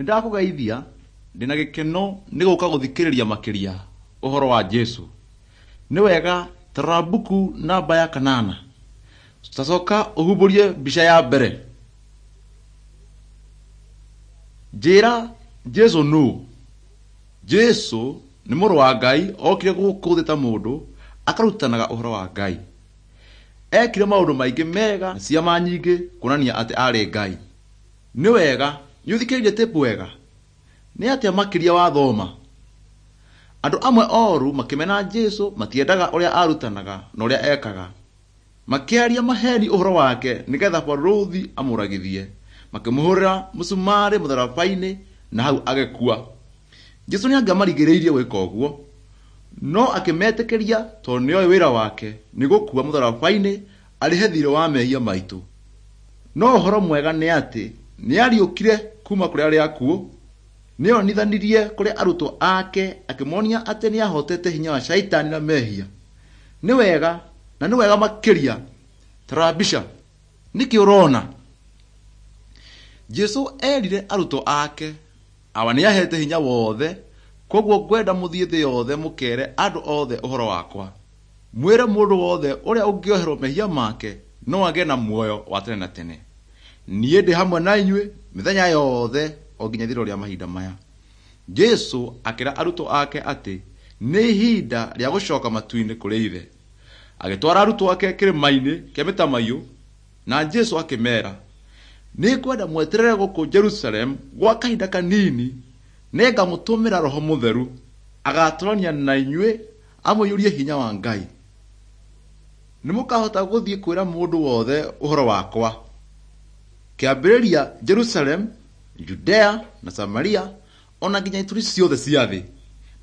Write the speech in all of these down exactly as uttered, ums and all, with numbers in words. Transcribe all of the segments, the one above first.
Nĩndakũgeithia ndĩna gĩkeno nĩ gũka gũthikĩrĩria makĩria ũhoro wa Jesũ. Nĩ wega ta rora mbuku namba ya kanana. Tacoka ũhumbũrie mbica ya mbere. Njĩra Jesũ nũũ? Jesũ nĩ mũrũ wa Ngai okire gũkũ thĩ ta mũndũ akarutanaga ũhoro wa Ngai. Ekire maũndũ maingĩ mega na ciama nyingĩ kuonania atĩ aarĩ Ngai. Nĩ wega nĩ ũthikĩrĩirie tape wega? Nĩ atĩa makĩria wathoma? Andũ amwe oru makĩmena Jesũ matiendaga ũrĩa arutanaga na ũrĩa ekaga. Makĩaria maheni ũhoro wake nĩgetha barũthi amũragithie. Makĩmũhũrĩra mũcumarĩ mũtharaba-inĩ na hau agĩkua. Jesũ nĩangĩamarigĩrĩirie gwĩka ũguo, no akĩmetĩkĩria tondũ nĩoĩ wĩra wake nĩ gũkua mũtharaba-inĩ arĩhe thiirĩ wa mehia maitũ. No ũhoro mwega nĩ atĩ nĩariũkire kuma kũrĩ arĩa akuũ. Nĩonithanirie kũrĩ arutwo ake akĩmonia atĩ nĩahotete hinya wa caitani na mehia. Nĩ wega na nĩ wega makĩria. Ta rora mbica. Nĩkĩ ũrona? Jesũ erire arutwo ake awa nĩahete hinya wothe koguo ngwenda mũthiĩ thĩ yothe mũkere andũ othe ũhoro wakwa. Mwĩre mũndũ wothe ũrĩa ũngĩoherwo mehia make no agĩe na muoyo wa tene na tene. Niĩ ndĩ hamwe na inyuĩ mĩthenya yothe o nginya ithirĩro rĩa mahinda maya. Jesũ akĩra arutwo ake atĩ nĩ ihinda rĩa gũcoka matu-inĩ kũrĩ Ithe. Agĩtwara arutwo ake kĩrĩma-inĩ kĩa mĩtamaiyũ na Jesũ akĩmeera, nĩngwenda mweterere gũkũ Jerusalemu gwa kahinda kanini nĩngamũtũmĩra Roho Mũtheru agatũrania na inyuĩ amũiyũrie hinya wa Ngai. Nĩmũkahota gũthiĩ kwĩra mũndũ wothe ũhoro wakwa. Kĩambĩrĩria Jerusalemu, Judea na Samaria ona nginya ituri ciothe cia thĩ.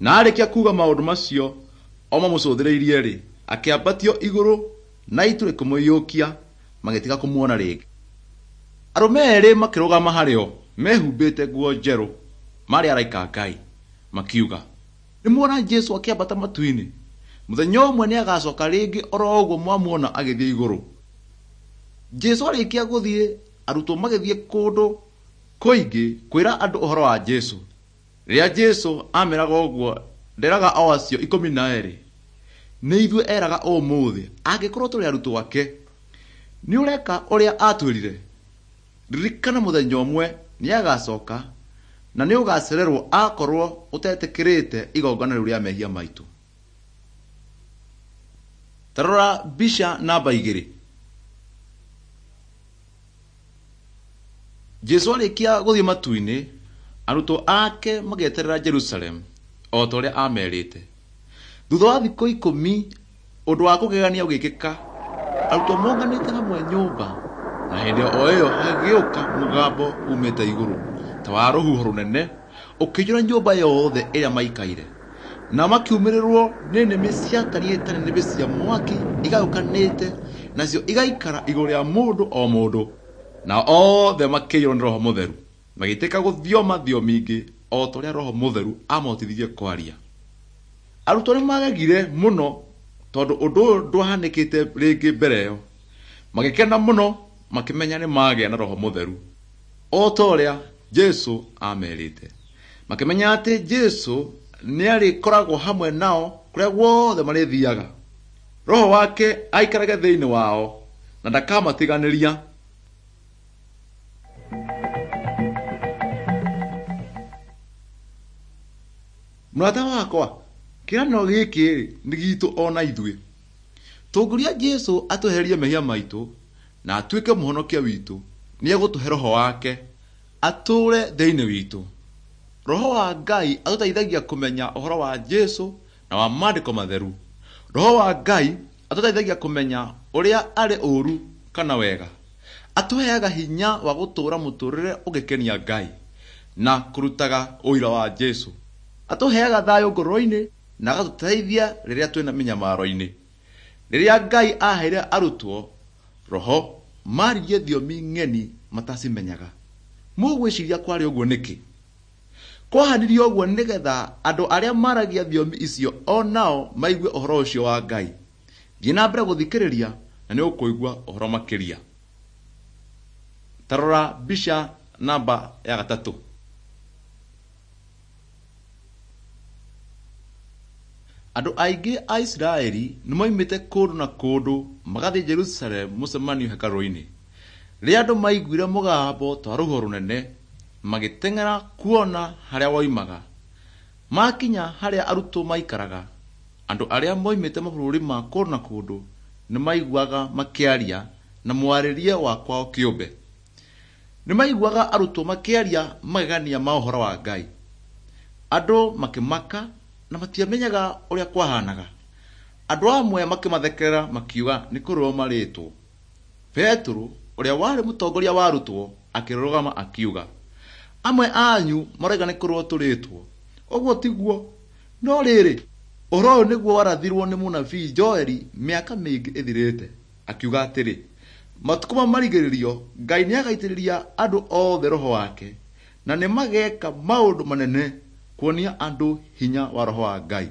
Na arĩkia kuuga maũndũ macio o mamũcũthĩrĩirie-rĩ, akĩambatio igũrũ na itu rĩkĩmũiyũkia magĩtiga kũmuona rĩngĩ. Arũme erĩ makĩrũgama harĩ o mehumbĩte nguo njerũ marĩ araika a Ngai makiuga, nĩmuona Jesũ akĩambata matu-inĩ. Mũthenya ũmwe nĩagacoka rĩngĩ oro ũguo mwamuona agĩthiĩ igũrũ. Jesũ arĩkia gũthiĩ arutwo magĩthiĩ kũndũ kũingĩ kwĩra andũ ũhoro wa Jesũ. Rĩrĩa Jesũ ameraga ũguo nderaga o acio ikũmi na erĩ, nĩ ithuĩ eraga ũmũthĩ angĩkorwo tũrĩ arutwo ake. Nĩ ũreka ũrĩa atwĩrire? Ririkana mũthenya ũmwe nĩagacoka na nĩ ũgacererwo akorwo ũtetĩkĩrĩte igongona rĩu rĩa mehia maitũ. Ta rora mbica namba igĩrĩ. Jesũ arĩkia gũthiĩ matu-inĩ, arutwo ake magĩeterera Jerusalemu o ta ũrĩa amerĩte. Thutha wa thikũ ikũmi ũndũ wa kũgegania ũgĩkĩka. Arutwo monganĩte hamwe nyũmba na hĩndĩ o ĩyo hagĩũka mũgambo umĩte igũrũ ta wa rũhuho rũnene ũkĩiyũra nyũmba yothe ĩrĩa maikaire. Na makiumĩrĩrwo nĩ nĩmĩ ciatariĩ ta nĩnĩmbĩ cia mwaki igayũkanĩte nacio igaikara igũrũ rĩa mũndũ o mũndũ. Na othe makĩiyũrwo nĩ Roho Mũtheru magĩtĩka gũthioma thiomi ingĩ o ta ũrĩa Roho Mũtheru amahotithirie kwaria. Arutwo nĩmagegire mũno tondũ ũndũ ũyũ ndwahanĩkĩte rĩngĩ mbere ĩyo. Magĩkena mũno makĩmenya nĩ magĩa na Roho Mũtheru o ta ũrĩa Jesũ amerĩte. Makĩmenya atĩ Jesũ nĩarĩkoragwo hamwe nao kũrĩa guothe marĩthiaga. Roho wake aikarage thĩinĩ wao na ndakamatiganĩria. Mũrata wakwa, kĩĩranĩro gĩkĩ nĩ gitũ ona ithuĩ. Tũngĩũria Jesũ atwehererie mehia maitũ na atuĩke mũhonokia witũ, nĩegũtũhe Roho wake atũũre thĩinĩ witũ. Roho wa Ngai atũteithagia kũmenya ũhoro wa Jesũ na wa maandĩko matheru. Roho wa Ngai atũteithagia kũmenya ũrĩa arĩ ũũru kana wega. Atũheaga hinya wa gũtũũra mũtũũrĩre ũngĩkenia Ngai na kũrutaga ũira wa Jesũ. Atũheaga thayũ ngoro-inĩ na agatũteithia rĩrĩa twĩna mĩnyamaro-inĩ. Rĩrĩa Ngai aheire arutwo Roho maririe thiomi ng'eni matacimenyaga. Mũgwĩciria kwarĩ ũguo nĩkĩ? Kwahanirio ũguo nĩgetha andũ arĩa maragia thiomi icio o nao maigue ũhoro ũcio wa Ngai. Thiĩ na mbere gũthikĩrĩria na nĩ ũkũigua ũhoro makĩria. Ta rora mbica namba ya gatatũ. Andũ aingĩ a Isiraeli nĩmoimĩte kũndũ na kũndũ magathiĩ Jerusalemu mũcemanio hekarũ-inĩ. Rĩrĩa andũ maiguire mũgambo ta wa rũhuho rũnene, magĩteng'era kuona harĩa woimaga. Makinya harĩa arutwo maikaraga, andũ arĩa moimĩte mabũrũri ma kũndũ na kũndũ nĩmaiguaga makĩaria na mwarĩrie wa kwao kĩũmbe. Nĩmaiguaga arutwo makĩaria magegania ma ũhoro wa Ngai. Andũ makĩmaka na matiamenyaga ũrĩa kwahanaga. Andũ amwe makĩmathekerera makiuga nĩ kũrĩrwo marĩtwo. Petero ũrĩa warĩ mũtongoria wa arutwo akĩrũgama akiuga, amwe anyu maroiga nĩ kũrĩrwo tũrĩtwo. Ũguo tiguo. No rĩrĩ, ũhoro ũyũ nĩguo warathirwo nĩ mũnabii Joeli mĩaka mĩingĩ ĩthirĩte, akiuga atĩrĩ, matukũ ma marigĩrĩrio Ngai nĩagaitĩrĩria andũ othe roho wake, na nĩmageka maũndũ manene kuonia andũ hinya wa roho wa Ngai.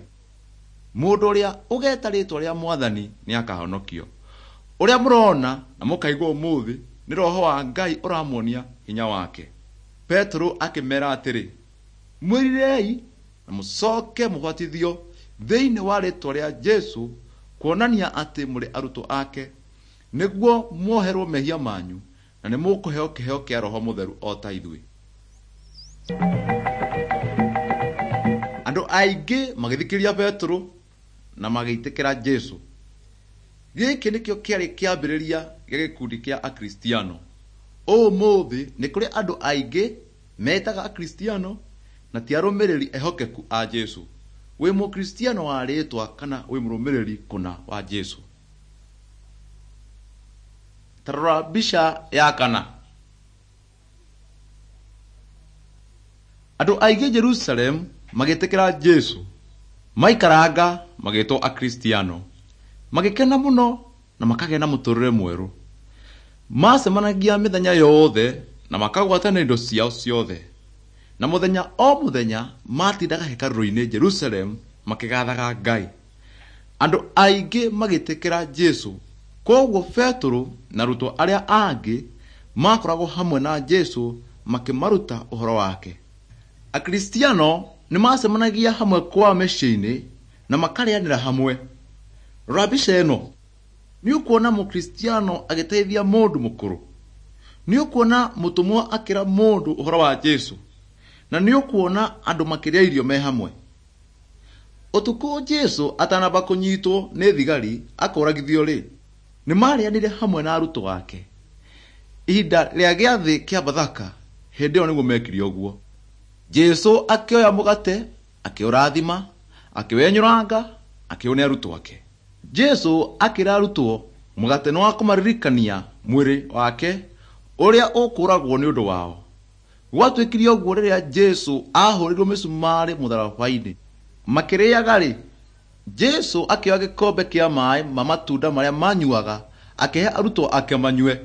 Mũndũ ũrĩa ũgeta rĩtwa rĩa Mwathani nĩakahonokio. Ũrĩa mũrona na mũkaigua ũmũthĩ nĩ roho wa Ngai ũramuonia hinya wake. Petero akĩmera atĩrĩ, mwĩrirei na mũcoke mũbatithio thĩinĩ wa rĩtwa rĩa Jesũ kuonania atĩ mũrĩ arutwo ake, nĩguo muoherwo mehia manyu na nĩmũkũheo kĩheo kĩa Roho Mũtheru o ta ithuĩ. Andũ aingĩ magĩthikĩrĩria Petero na magĩtĩkĩra Jesũ. Gĩkĩ nĩkĩo kĩarĩ kĩambĩrĩria gĩa gĩkundi kĩa Akristiano. Ũmũthĩ nĩ kũrĩ andũ aingĩ metaga Akristiano na ti arũmĩrĩri ehokeku a Jesũ. Wĩ mũkristiano wa rĩtwa kana wĩ mũrũmĩrĩri kũna wa Jesũ? Ta rora mbica ya kana. Andũ aingĩ Jerusalemu magĩtĩkĩra Jesũ. Maikaranga magĩtwo Akristiano. Magĩkena mũno na makagĩa na mũtũrĩre mwerũ. Macemanagia mĩthenya yothe na makagwatana indo ciao ciothe. Na mũthenya o mũthenya matindaga hekarũ-inĩ Jerusalemu makĩgathaga Ngai. Andũ aingĩ magĩtĩkĩra Jesũ. Kwoguo Petero na arutwo arĩa angĩ makoragwo hamwe na Jesũ makĩmaruta ũhoro wake. Akristiano nĩmacemanagia hamwe kwao mĩciĩ-inĩ na makarĩanĩra hamwe. Rora mbica ĩno. Nĩũkuona mũkristiano agĩteithia mũndũ mũkũrũ. Nĩũkuona mũtũmwo akĩra mũndũ ũhoro wa Jesũ. Na nĩũkuona andũ makĩrĩa irio me hamwe. Ũtukũ Jesũ atanamba kũnyitwo nĩ thigari akũragithio rĩ, nĩmarĩanĩire hamwe na arutwo ake. Ihinda rĩa gĩathĩ kĩa Bathaka, hĩndĩ ĩyo nĩguo mekire ũguo. Jesũ akĩoya mũgate, akĩũrathima, akĩwenyũranga, akĩũne arutwo ake. Jesũ akĩra arutwo mũgate nĩ wa kũmaririkania mwĩrĩ wake ũrĩa ũkũragwo nĩ ũndũ wao. Gwatuĩkire ũguo rĩrĩa Jesũ ahũrĩirwo mĩcumarĩ mũtharaba-inĩ. Makĩrĩaga rĩ, Jesũ akĩoya gĩkombe kĩa maaĩ ma matunda marĩa manyuaga akĩhe arutwo ake manyue.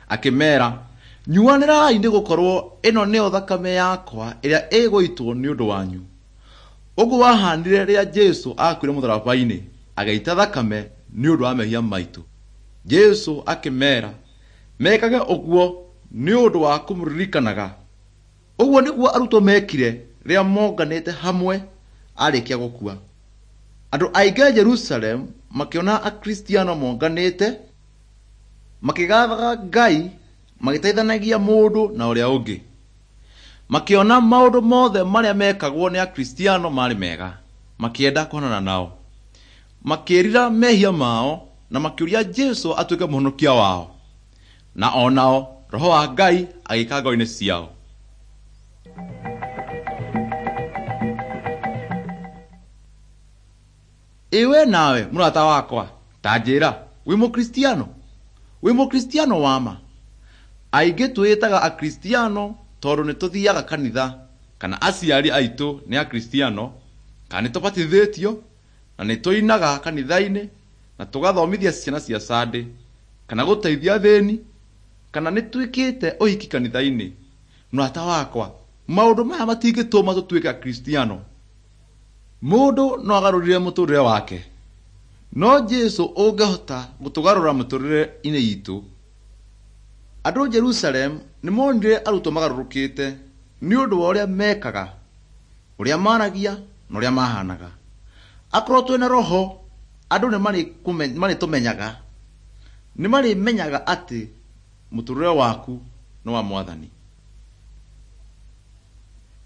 Akĩmeera, nyuanĩrai nĩgũkorwo ĩno nĩyo thakame yakwa ĩrĩa ĩgũitwo nĩ ũndũ wanyu. Ũguo wahanire rĩrĩa Jesũ akuire mũtharaba-inĩ, agĩita thakame nĩ ũndũ wa mehia maitũ. Jesũ akĩmeera mekage ũguo nĩ ũndũ wa kũmũririkanaga. Ũguo nĩguo arutwo mekire rĩrĩa monganĩte hamwe arĩkia gũkua. Andũ aingĩ Jerusalemu makĩona Akristiano monganĩte, makĩgathaga Ngai, magĩteithanagia mũndũ na ũrĩa ũngĩ. Makĩona maũndũ mothe marĩa mekagwo nĩ Akristiano marĩ mega, makĩenda kuonana nao. Makĩĩrira mehia mao na makĩũria Jesũ atuĩke mũhonokia wao. Na o nao Roho wa Ngai agĩka ngoro-inĩ ciao. Ĩ we nawe mũrata wakwa, ta njĩra, wĩ mũkristiano? Wĩ mũkristiano wa ma? Aingĩ twĩtaga Akristiano tondũ nĩtũthiaga kanitha, kana aciari aitũ nĩ Akristiano, kana nĩtũbatithĩtio, na nĩtũinaga kanitha-inĩ, na tũgathomithia ciana cia Sunday, kana gũteithia athĩni, kana nĩtwĩkĩte ũhiki kanitha-inĩ. Mũrata wakwa, maũndũ maya matingĩtũma tũtuĩke Akristiano. Mũndũ no agarũrire mũtũrĩre wake, no Jesũ ũngĩhota gũtũgarũra mĩtũrĩre-inĩ itũ. Andũ Jerusalemu nĩmonire arutwo magarũrũkĩte nĩ ũndũ wa ũrĩa mekaga, ũrĩa maragia na ũrĩa mahanaga. Akorwo twĩna roho andũ nĩ marĩtũmenyaga, nĩ marĩmenyaga atĩ mũtũrĩre waku nĩ wa Mwathani.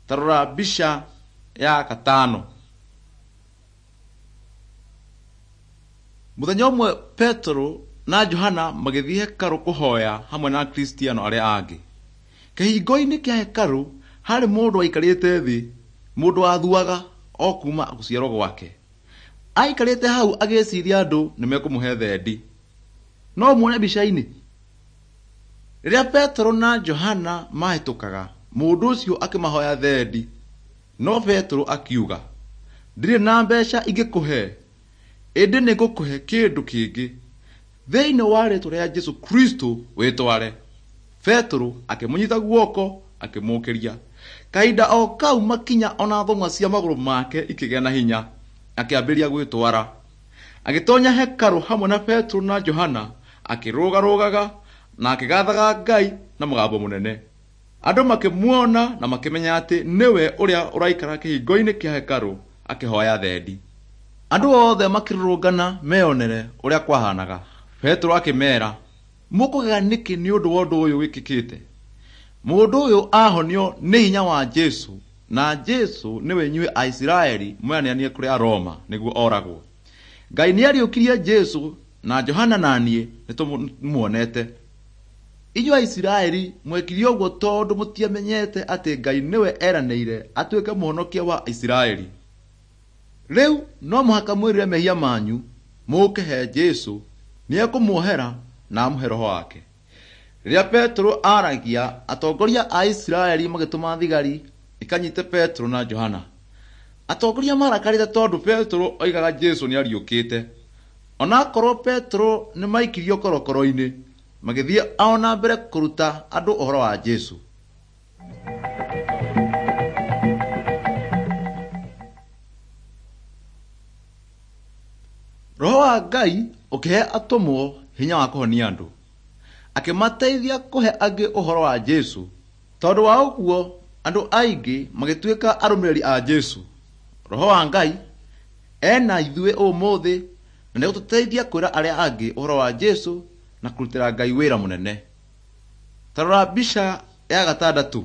Ta rora mbica ya gatano. Mũthenya ũmwe Petero na Johana magĩthiĩ hekarũ kũhoya hamwe na Akristiano arĩa angĩ. Kĩhingo-inĩ kĩa hekarũ harĩ mũndũ waikarĩte thĩ, mũndũ wathuaga o kuma gũciarwo gwake. Aikarĩte hau agĩciria andũ nĩ mekũmũhe thendi. No muone mbica-inĩ. Rĩrĩa Petero na Johana mahĩtũkaga, mũndũ ũcio akĩmahoya thendi. No Petero akiuga, "Ndirĩ na mbeca ingĩkũhe, ĩndĩ nĩngũkũhe kĩndũ kĩngĩ. Thĩinĩ wa rĩĩtwa rĩa Jesũ Kristo wĩtware." Petero akĩmũnyita guoko akĩmũũkĩria. Kahinda o kau makinya ona thũng'wa cia magũrũ make ikĩgĩa na hinya, akĩambĩrĩria gwĩtwara. Agĩtonya hekarũ hamwe na Petero na Johana, akĩrũgarũgaga na akĩgathaga Ngai na mũgambo mũnene. Andũ makĩmuona na makĩmenya atĩ nĩwe ũrĩa ũraikara kĩhingo-inĩ kĩa hekarũ akĩhoya thendi. Andũ othe makĩrũrũngana meyonere ũrĩa kwahanaga. Petero akĩmeera, "Mũkũgega nĩkĩ nĩ ũndũ wa ũndũ ũyũ wĩkĩkĩte? Mũndũ ũyũ ahonio nĩ hinya wa Jesũ, na Jesũ nĩwe inyuĩ Aisiraeli mweneanire kũrĩ Aroma nĩguo oragwo. Ngai nĩariũkirie Jesũ na Johana na niĩ nĩtũmuonete. Inyuĩ Aisiraeli mwekire ũguo tondũ mũtiamenyete atĩ Ngai nĩwe eranĩire atuĩke mũhonokia wa Isiraeli. Rĩu no mũhaka mwĩrire mehia manyu mũũke he Jesũ, nĩekũmuohera na amũhe Roho wake." Rĩrĩa Petero aaragia, atongoria a Isiraeli magĩtũma thigari ikanyite Petero na Johana. Atongoria marakarĩte tondũ Petero oigaga Jesũ nĩariũkĩte. Onakorwo Petero nĩmaikirio korokoro-inĩ, magĩthiĩ o na mbere kũruta andũ ũhoro wa Jesũ. Roho wa Ngai ũkĩhe atũmwo hinya wa kũhonia andũ, akĩmateithia kũhe angĩ ũhoro wa Jesũ. Tondũ wa ũguo andũ aingĩ magĩtuĩka arũmĩrĩri a Jesũ. Roho wa Ngai ena ithuĩ ũmũthĩ na nĩegũtũteithia kwĩra arĩa angĩ ũhoro wa Jesũ na kũrutĩra Ngai wĩra mũnene. Ta rora mbica ya gatandatũ.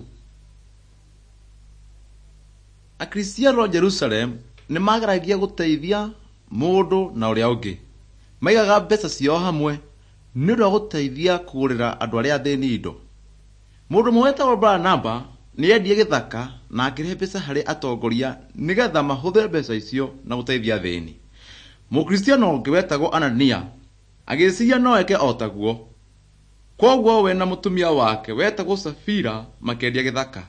Akristiano Jerusalem nĩ mageragia gũteithia mũndũ na ũrĩa ũngĩ. Maigaga mbeca ciao hamwe nĩ ũndũ wa gũteithia kũgũrĩra andũ arĩa athĩni indo. Mũndũ ũmwe wetagwo Baranaba nĩendirie gĩthaka na akĩrehe mbeca harĩ atongoria nĩgetha mahũthĩre mbeca icio na gũteithia athĩni. Mũkristiano ũngĩ wetagwo Anania agĩciria no eke o taguo. Kwoguo we na mũtumia wake wetagwo Safira makĩendia gĩthaka,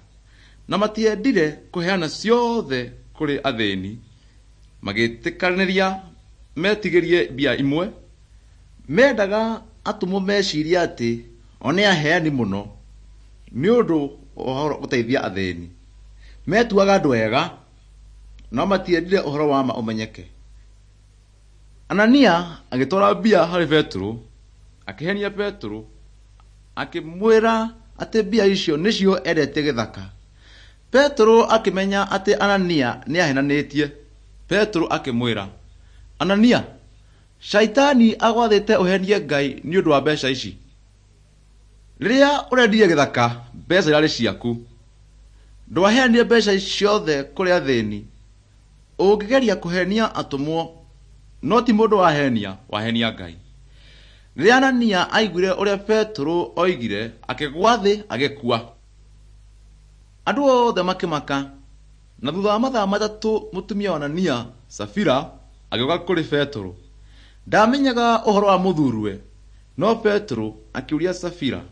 na matiendire kũheana ciothe kũrĩ athĩni. Magĩtĩkanĩria metigĩrie mbia imwe. Mendaga atũmwo mecirie atĩ o nĩ aheani mũno nĩ ũndũ wa gũteithia athĩni. Metuaga andũ ega, no matiendire ũhoro wa ma ũmenyeke. Anania agĩtwara mbia harĩ Petero, akĩhenia Petero, akĩmwĩra atĩ mbia icio nĩcio endetie gĩthaka. Petero akĩmenya atĩ Anania nĩahenanĩtie. Petero akĩmwĩra, "Anania, Shaitani agwathĩte ũhenie Ngai nĩ ũndũ wa mbeca ici. Rĩrĩa ũrendirie gĩthaka, mbeca irarĩ ciaku. Ndwaheanire mbeca ciothe kũrĩ athĩni. Ũngĩgeria kũhenia atũmwo, no ti mũndũ wahenia, wahenia Ngai." Rĩrĩa Anania aiguire ũrĩa Petero oigire, akĩgwa thĩ agĩkua. Andũ othe makĩmaka, na thutha wa mathaa matatũ mũtumia wa Anania, Safira, agĩũka kũrĩ Petero. Ndamenyaga ũhoro wa mũthuriwe, no Petero akĩũria Safira,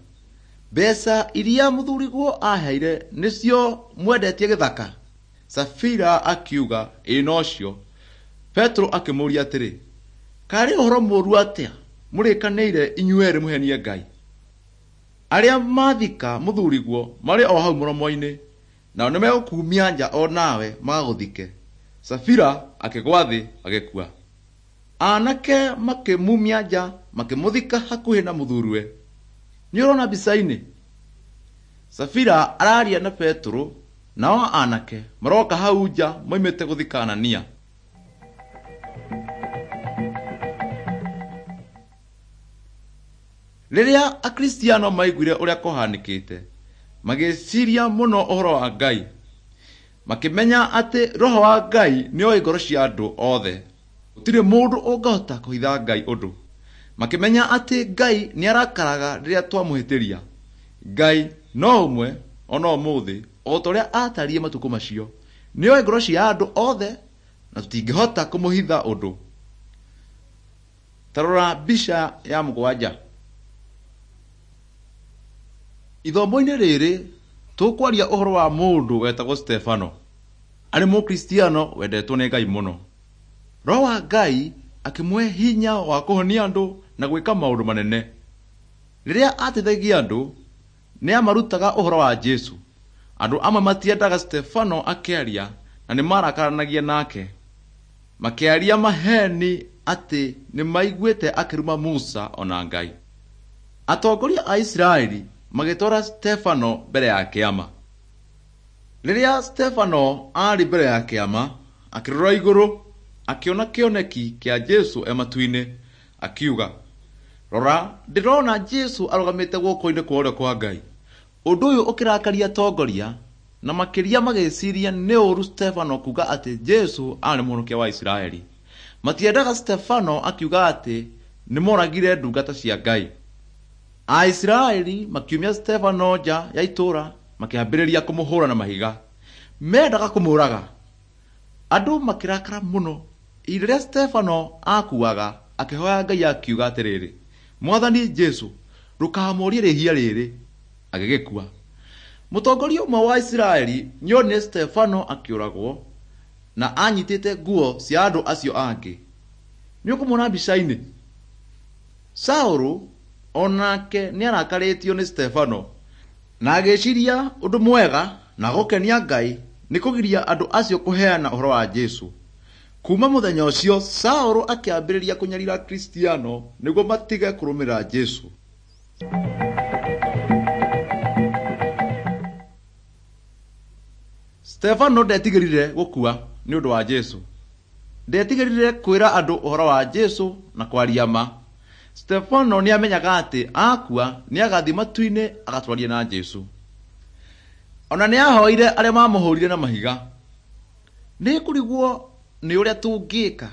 "Mbeca iria mũthuriguo aheire nĩcio mwendetie gĩthaka?" Safira akiuga, "Ĩĩ nocio." Petero akĩmũũria atĩrĩ, "Karĩ ũhoro mũũru atĩa mũrĩkanĩire inyuerĩ mũhenie Ngai? Arĩa mathika mũthuriguo marĩ o hau mũromo-inĩ, nao nĩmegũkuumia nja o nawe magagũthike." Safira akĩgwa thĩ agĩkua. Anake makĩmumia nja makĩmũthika hakuhĩ na mũthuriwe. Nĩ ũrona mbica-inĩ? Safira araria na Petero, nao anake maroka hau nja moimĩte gũthika Anania. Rĩrĩa Akristiano maiguire ũrĩa kũhanĩkĩte, magĩciria mũno ũhoro wa Ngai. Makĩmenya atĩ Roho wa Ngai nĩoĩ ngoro cia andũ othe. Gũtirĩ mũndũ ũngĩhota kũhitha Ngai ũndũ. Makĩmenya atĩ Ngai nĩarakaraga rĩrĩa twamũhĩtĩria. Ngai no ũmwe ona ũmũthĩ o ta ũrĩa aatariĩ matukũ macio. Nĩoĩ ngoro cia andũ othe na tũtingĩhota kũmũhitha ũndũ. Ta rora mbica ya mũgwanja. Ithomo-inĩ rĩrĩ tũkwaria ũhoro wa mũndũ wetagwo Stefano. Arĩ mũkristiano wendetwo nĩ Ngai mũno. Roho wa Ngai akĩmũhe hinya wa kũhonia andũ na gwĩka maũndũ manene. Rĩrĩa ateithagia andũ, nĩ amarutaga ũhoro wa Jesũ. Andũ amwe matiendaga Stefano akĩaria na nĩ marakaranagia nake. Makĩaria maheeni atĩ nĩ maiguĩte akĩruma Musa ona Ngai. Atongoria a Isiraeli magĩtwara Stefano mbere ya kĩama. Rĩrĩa Stefano aarĩ mbere ya kĩama, akĩrora igũrũ, akĩona kĩoneki kĩa Jesũ e matu-inĩ, akiuga, "Rora, ndĩrona Jesũ arũgamĩte guoko-inĩ kwa ũrĩo kwa Ngai." Ũndũ ũyũ ũkĩrakaria atongoria na makĩria magĩciria nĩ ũũru Stefano kuuga atĩ Jesũ aarĩ mũhonokia wa Isiraeli. Matiendaga Stefano akiuga atĩ nĩmoragire ndungata cia Ngai. Aisiraeli makiumia Stefano nja ya itũũra makĩambĩrĩria kũmũhũra na mahiga. Mendaga kũmũũraga. Andũ makĩrakara mũno. Ihinda rĩrĩa Stefano aakuaga, akĩhoya Ngai akiuga atĩrĩrĩ, "Mwathani Jesũ, ndũkamũũrie rĩhia rĩrĩ." Agĩgĩkua. Mũtongoria ũmwe wa Isiraeli nĩonire Stefano akĩũragwo na anyitĩte nguo cia andũ acio angĩ. Nĩũkũmuona mbica-inĩ? Saũlũ onake nĩarakarĩtio nĩ Stefano na agĩciria ũndũ mwega na gũkenia Ngai nĩ kũgiria andũ acio kũheana ũhoro wa Jesũ. Kuma mũthenya ũcio Saũlũ akĩambĩrĩria kũnyarira Akristiano nĩguo matige kũrũmĩrĩra Jesũ. Stefano ndetigĩrire gũkua nĩ ũndũ wa Jesũ. Ndetigĩrire kwĩra andũ ũhoro wa Jesũ na kwaria ma. Stefano nĩamenyaga atĩ akua nĩagathiĩ matu-inĩ agatwarie na Jesũ. Ona nĩahoire arĩa mamũhũrire na mahiga. Nĩngũrigwo nĩ ũrĩa tũngĩka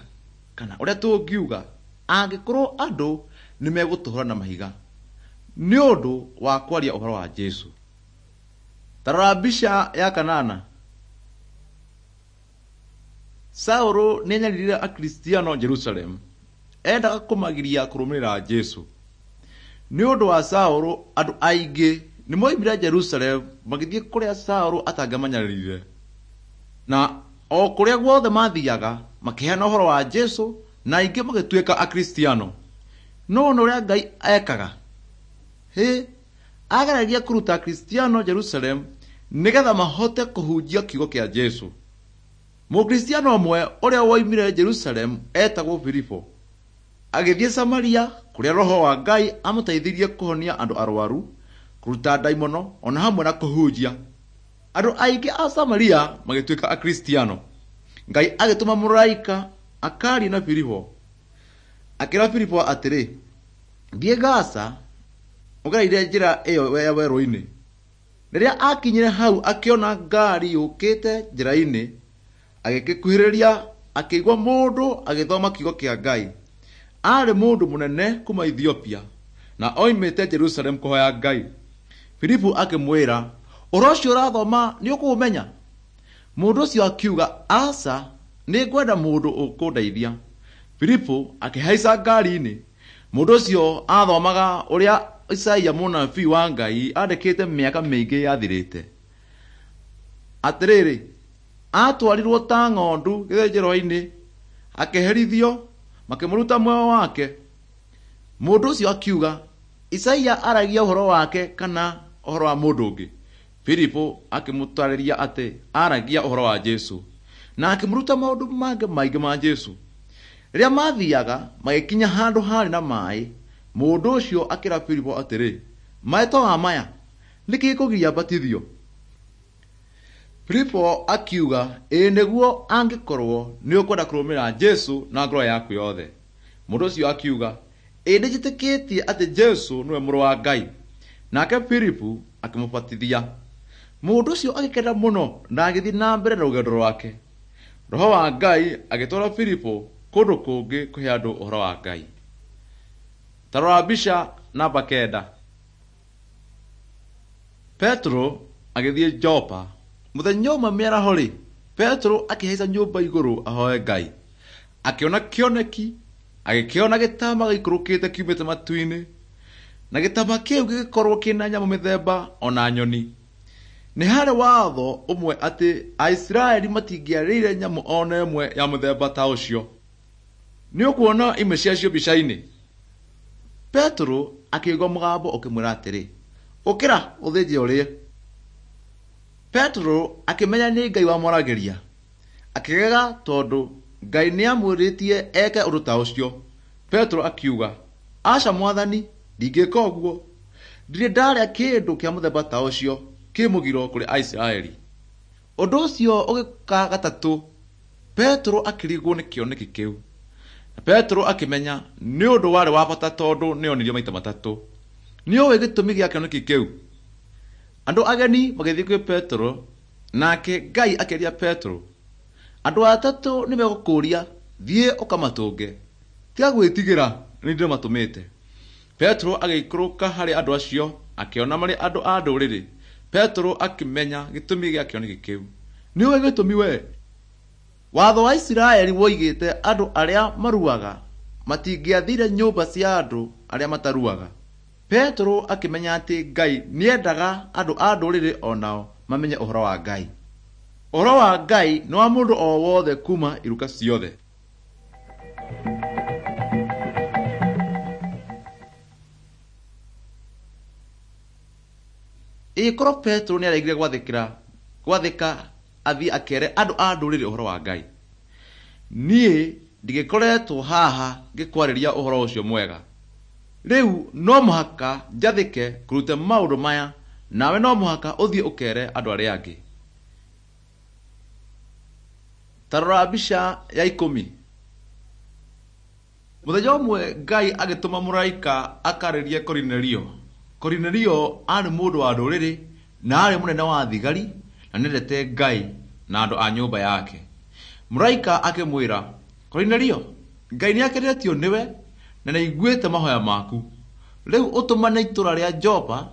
kana ũrĩa tũngiuga angĩkorwo andũ nĩmegũtũhũra na mahiga nĩ ũndũ wa kwaria ũhoro wa Jesũ. Ta rora mbica ya kanana. Saũlũ nĩanyaririre Akristiano Jerusalemu. Endaga kũmagiria kũrũmĩrĩra Jesũ. Nĩ ũndũ wa Saũlũ andũ aingĩ nĩmoimire Jerusalemu magĩthiĩ kũrĩa Saũlũ atangĩamanyaririre. Na o kũrĩa guothe maathiaga makĩheana ũhoro wa Jesũ na aingĩ magĩtuĩka Akristiano. No wona ũrĩa Ngai ekaga? Hĩ, ageragia kũruta Akristiano Jerusalemu nĩgetha mahote kũhunjia kiugo kĩa Jesũ. Mũkristiano ũmwe ũrĩa woimire Jerusalemu etagwo Filipo agĩthiĩ Samaria kũrĩa Roho wa Ngai amũteithirie kũhonia andũ arwaru, kũruta ndaimono ona hamwe na kũhunjia. Andũ aingĩ a Samaria magĩtuĩka Akristiano. Ngai agĩtũma mũraika akarie na Filipo. Akĩra Filipo atĩrĩ, "Thiĩ Gaza ũgereire njĩra ĩyo ya werũ-inĩ." Rĩrĩa aakinyire hau akĩona ngaari yũkĩte njĩra-inĩ, agĩgĩkuhĩrĩria akĩigua mũndũ agĩthoma kiugo kĩa Ngai. Aarĩ mũndũ mũnene kuma Ethiopia na oimĩte Jerusalemu kũhoya Ngai. Filipu akĩmwĩra, "Ũhoro ũcio ũrathoma nĩũkũũmenya?" Mũndũ ũcio akiuga, "Aca, nĩngwenda mũndũ ũkũndeithia." Filipu akĩhaica ngaari-inĩ. Mũndũ ũcio aathomaga ũrĩa Isaia mũnabii wa Ngai aandĩkĩte mĩaka mĩingĩ yathirĩte. Atĩrĩrĩ, aatwarirwo ta ng'ondu gĩthĩnjĩro-inĩ, akĩherithio, makĩmũruta muoyo wake. Mũndũ ũcio akiuga, "Isaia aragia ũhoro wake kana ũhoro wa mũndũ ũngĩ?" Filipo akĩmũtaarĩria atĩ aaragia ũhoro wa Jesũ na akĩmũruta maũndũ mangĩ maingĩ ma Jesũ. Rĩrĩa maathiaga magĩkinya handũ haarĩ na maaĩ, mũndũ ũcio akĩra Filipo atĩrĩ, "Maaĩ to maya, nĩ kĩĩ gĩkũgiria mbatithio?" Filipo akiuga, "Ĩĩ nĩguo angĩkorwo nĩũkwenda kũrũmĩrĩra Jesũ na ngoro yaku yothe." Mũndũ ũcio akiuga, Ĩ nĩnjĩtĩkĩtie atĩ Jesũ nĩwe mũrũ wa Ngai. Nake Filipu akĩmũbatithia. Mũndũ ũcio agĩkena mũno na agĩthiĩ na mbere na rũgendo rwake. Roho wa Ngai agĩtwara Filipu kũndũ kũngĩ kũhe andũ ũhoro wa Ngai. Ta rora mbica namba kenda. Petero agĩthiĩ Jopa. Mũthenya ũmwe mĩaraho-rĩ, Petero akĩhaica nyũmba igũrũ ahoe Ngai. Akĩona kĩoneki, agĩkĩona gĩtama gĩikũrũkĩte kiumĩte matu-inĩ, na gĩtama kĩu gĩgĩkorwo kĩna nyamũ mĩthemba ona nyoni. Nĩ harĩ watho ũmwe atĩ Aisiraeli matingĩarĩire nyamũ ona ĩmwe ya mũthemba ta ũcio. Nĩ ũkuona imwe ciacio mbica-inĩ. Petero akĩigua mũgambo ũkĩmwĩra atĩrĩ, ũkĩra ũthĩnje ũrĩe. Petero akĩmenya nĩ Ngai wamwaragĩria. Akĩgega tondũ Ngai nĩamwĩrĩtie eke ũndũ ta ũcio. Petero akiuga, aca Mwathani, ndingĩka ũguo. Ndirĩ ndarĩa kĩndũ kĩa mũthemba ta ũcio kĩ mũgiro kũrĩ Aisiraeli. Ũndũ ũcio ũgĩũka gatatũ. Petero akĩrigwo nĩ kĩoneki kĩu. Na Petero akĩmenya nĩ ũndũ warĩ wa bata tondũ nĩonirio maita matatũ. Nĩũĩ gĩtũmi gĩa kĩoneki kĩu? Andũ ageni magĩthiĩ kwĩ Petero, nake Ngai akĩaria Petero, andũ atatũ nĩmegũkũũria, thiĩ ũkamatũnge. Tiga gwĩtigĩra, nĩ ndĩmatũmĩte. Petero agĩikũrũka harĩ andũ acio, akĩona marĩ andũ a ndũrĩrĩ. Petero akĩmenya gĩtũmi gĩa kĩoneki kĩu. Nĩũĩ gĩtũmi we? Watho wa Isiraeli woigĩte andũ arĩa maruaga matingĩathire nyũmba cia andũ arĩa mataruaga. Petero akĩmenya atĩ Ngai nĩendaga andũ a ndũrĩrĩ onao mamenye ũhoro wa Ngai. Ũhoro wa Ngai nĩ wa mũndũ o wothe kuma iruka ciothe. Ĩkorwo Petero nĩaregire gwathĩkĩra gwathĩka athiĩ akere andũ a ndũrĩrĩ ũhoro wa Ngai, niĩ ndigĩkoretwo haha ngĩkwarĩria ũhoro ũcio mwega. Rĩu no mũhaka njathĩke kũruta maũndũ maya, nawe no mũhaka ũthiĩ ũkere andũ arĩa angĩ. Ta rora mbica ya ikũmi. Mũthenya ũmwe Ngai agĩtũma mũraika akarĩrie Korinelio. Korinelio aarĩ mũndũ wa ndũrĩrĩ na aarĩ mũnene wa thigari na nĩendete Ngai na andũ a nyũmba yake. Mũraika akĩmwĩra, Korinelio, Ngai nĩakenetio nĩwe na nĩaiguĩte mahoya maku. Rĩu ũtũmane itũũra rĩa Jopa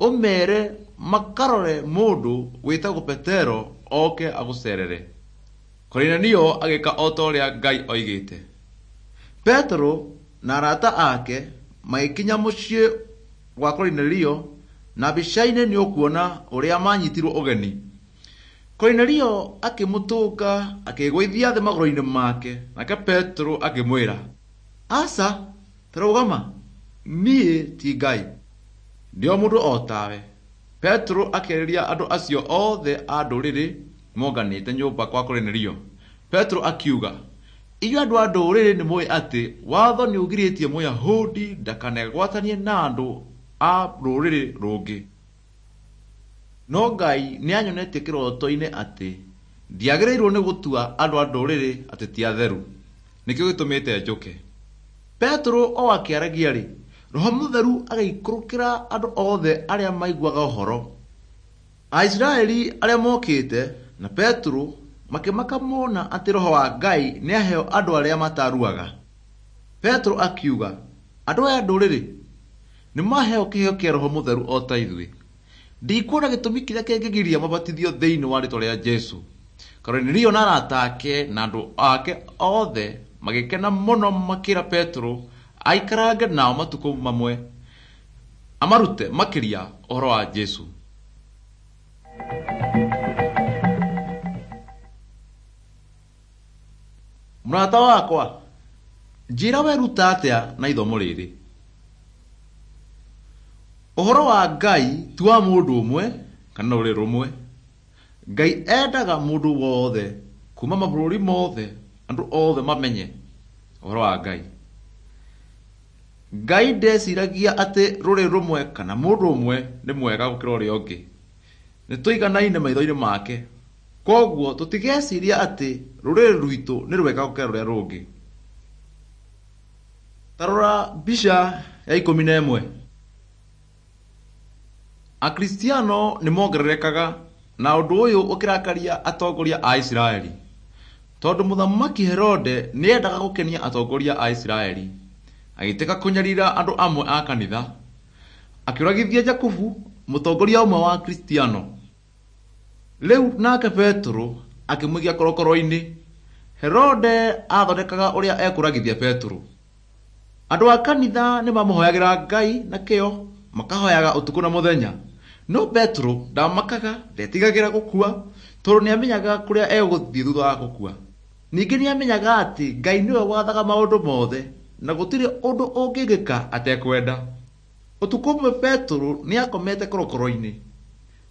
ũmeere makarore mũndũ wĩtagwo Petero oke agũcerere. Korinelio agĩka o ta ũrĩa Ngai oigĩte. Petero na arata ake magĩkinya mũciĩ gwa Korinelio, na mbica-inĩ nĩ ũkuona ũrĩa manyitirwo ũgeni. Korinelio akĩmũtũnga akĩĩgũithia thĩ magũrũ-inĩ make, nake Petero akĩmwĩra, aca, ta rũgama, niĩ ti Ngai, ndĩ o mũndũ o tawe. Petero akĩarĩria andũ acio othe a ndũrĩrĩ monganĩte nyũmba kwa Korinelio. Petero akiuga, inyuĩ andũ a ndũrĩrĩ nĩmũĩ atĩ watho nĩũgirĩtie Mũyahudi ndakanegwatanie na andũ a rũrĩrĩ rũngĩ. No Ngai nĩanyonetie kĩroto-inĩ atĩ ndiagĩrĩirwo nĩ gũtua andũ a ndũrĩrĩ atĩ ti atheru. Nĩkĩo gĩtũmĩte njũke. Petero o akĩaragia-rĩ, Roho Mũtheru agĩikũrũkĩra andũ othe arĩa maiguaga ũhoro. Aisiraeli arĩa mokĩte na Petero makĩmaka mona atĩ Roho wa Ngai nĩaheo andũ arĩa mataruaga. Petero akiuga, andũ aya a ndũrĩrĩ nĩmaheo kĩheo kĩa Roho Mũtheru o ta ithuĩ. Ndikuona gĩtũmi kĩrĩa kĩngĩgiria mabatithio thĩinĩ wa rĩĩtwa rĩa Jesũ. Korinelio na arata ake na andũ ake othe magĩkena mũno makĩra Petero aikarange nao matukũ mamwe amarute makĩria ũhoro wa Jesũ. Mũrata wakwa, njĩra weruta atĩa na ithomo rĩrĩ? Ũhoro wa Ngai ti wa mũndũ ũmwe kana rũrĩrĩ rũmwe. Ngai endaga mũndũ wothe kuma mabũrũri mothe, andũ othe mamenye ũhoro wa Ngai. Ngai ndeciragia atĩ rũrĩrĩ rũmwe kana mũndũ ũmwe nĩ mwega gũkĩra ũrĩa ũngĩ. Nĩtũiganaine maitho-inĩ make. Koguo tũtigeciria atĩ rũrĩrĩ rwitũ nĩ rwega gũkĩra rũrĩa rũngĩ. Ta rora mbica ya ikũmi na ĩmwe. Akristiano nĩ mongererekaga na ũndũ ũyũ ũkĩrakaria atongoria a Isiraeli. Tondũ mũthamaki Herode nĩ endaga gũkenia atongoria a Isiraeli, agĩtĩka kũnyarira andũ amwe a kanitha. Akĩũragithia Jakubu, mũtongoria ũmwe wa Akristiano. Rĩu nake Petero akĩmũikia korokoro-inĩ. Herode aathondekaga ũrĩa ekũragithia Petero. Andũ a kanitha nĩ mamũhoyagĩra Ngai na kĩyo, makahoyaga ũtukũ na mũthenya. No Petero ndamakaga, ndetigagĩra gũkua, tondũ nĩamenyaga kũrĩa egũthiĩ thutha wa gũkua. Ningĩ nĩamenyaga atĩ Ngai nĩwe wathaga maũndũ mothe na gũtirĩ ũndũ ũngĩgĩka atekwenda. Ũtukũ ũmwe Petero nĩakomete korokoro-inĩ.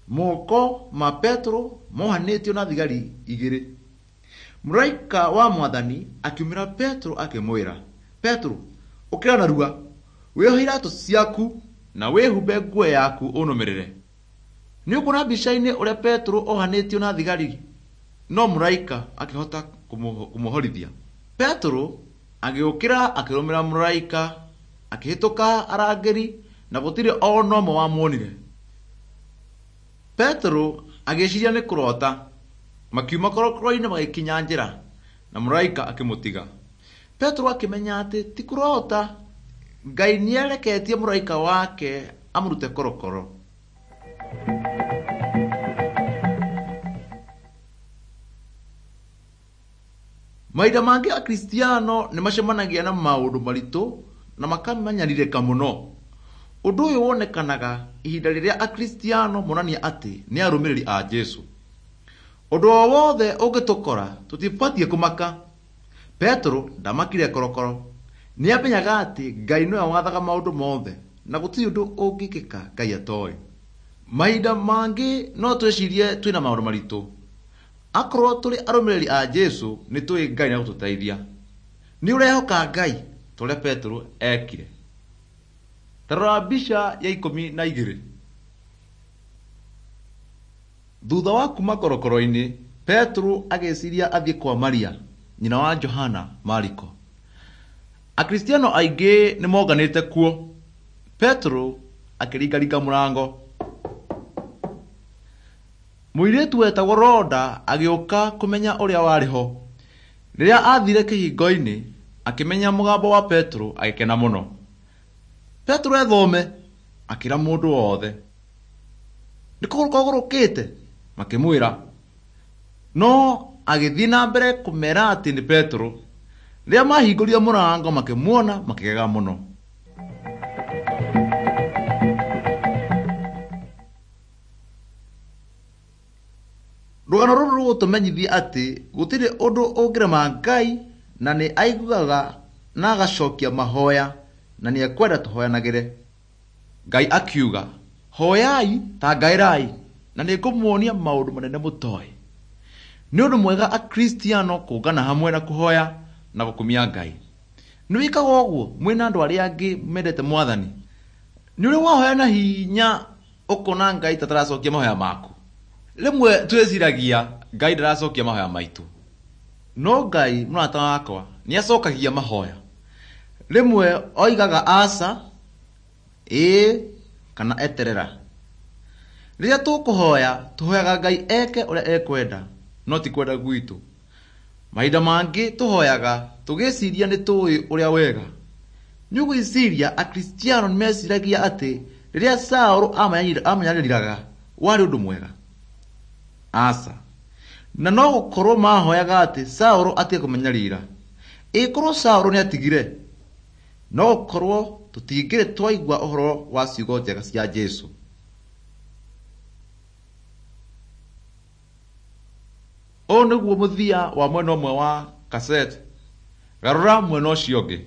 Moko ma Petero mohanĩtio na thigari igĩrĩ. Mũraika wa Mwathani akiumĩra Petero akĩmwĩra, "Petero, ũkĩra narua, wĩohe iratũ ciaku na wĩhumbe nguo yaku ũnũmĩrĩre." Nĩ ũkuona mbica-inĩ ũrĩa Petero ohanĩtio na thigari, no mũraika akĩhota kũmũhorithia. Petero agĩũkĩra akĩrũmĩrĩra mũraika, akĩhĩtũka arangĩri na gũtirĩ o na ũmwe wamuonire. Petero agĩciria nĩ kũrota. Makiuma korokoro-inĩ magĩkinya njĩra, na mũraika akĩmũtiga. Petero akĩmenya atĩ ti kũrota, Ngai nĩareketie mũraika wake amũrute korokoro. Mahinda mangĩ Akristiano nĩ macemanagia na maũndũ maritũ na makamanyarĩrĩka mũno. Ũndũ ũyũ wonekanaga ihinda rĩrĩa Akristiano monania atĩ nĩ arũmĩrĩri a Jesũ. Ũndũ o wothe ũngĩtũkora tũtibatiĩ kũmaka. Petero ndamakire korokoro. Nĩamenyaga atĩ Ngai nĩwe wathaga maũndũ mothe na gũtirĩ ũndũ ũngĩkĩka Ngai atoĩ. Mahinda mangĩ no twĩcirie twĩna maũndũ maritũ. Akorwo tũrĩ arũmĩrĩri a Jesũ nĩ tũĩ Ngai nĩegũtũteithia. Nĩ ũrehoka Ngai ta ũrĩa Petero ekire. Ta rora mbica ya ikũmi na igĩrĩ. Thutha wa kuma korokoro-inĩ, Petero agĩciria athiĩ kwa Maria, nyina wa Johana Mariko. Akristiano aingĩ nĩ monganĩte kuo. Petero akĩringaringa mũrango. Mũirĩtu wetagwo Roda agĩũka kũmenya ũrĩa warĩ ho. Rĩrĩa aathire kĩhingo-inĩ, akĩmenya mũgambo wa Petero agĩkena mũno. Petero ethome, akĩra mũndũ wothe. "Nĩ kũgũrũka ũgũrũkĩte?" makĩmwĩra. No agĩthiĩ na mbere kũmeera atĩ nĩ Petero. Rĩrĩa maahingũrire mũrango makĩmuona makĩgega mũno. Rũgano rũrũ rũgũtũmenyithia atĩ gũtirĩ ũndũ ũngĩrema Ngai na nĩ aiguaga na agacokia mahoya na nĩ ekwenda tũhoyanagĩre. Ngai akiuga, "Hoyai ta ngaĩrai na nĩngũmuonia maũndũ manene mũtoĩ." Nĩ ũndũ mwega Akristiano kũngana hamwe na kũhoya na gũkumia Ngai. Nĩ wĩkaga ũguo mwĩna andũ arĩa angĩ mendete Mwathani? Nĩ ũrĩ wahoya na hinya ũkona Ngai ta ataracokia mahoya maku? Rĩmwe twĩciragia Ngai ndaracokia mahoya maitũ. No Ngai mũrata wakwa nĩ acokagia mahoya. Rĩmwe oigaga aca, ĩĩ kana eterera. Rĩrĩa tũkũhoya tũhoyaga Ngai eke ũrĩa ekwenda no ti kwenda gwitũ. Mahinda mangĩ tũhoyaga tũgĩciria nĩ tũĩ ũrĩa wega. Nĩ ũgwĩciria Akristiano nĩ meciragia atĩ rĩrĩa Saũlũ amanyariraga warĩ ũndũ mwega? Aca. Na no gũkorwo mahoyaga atĩ Saũlũ atige kũmanyarira. Ĩkorwo Saũlũ nĩatigire, no gũkorwo tũtingĩrĩ twaigua ũhoro wa ciugo njega cia Jesũ. Ũyũ nĩguo mũthia wa mwena ũmwe wa kaseti. Garũra mwena ũcio ũngĩ.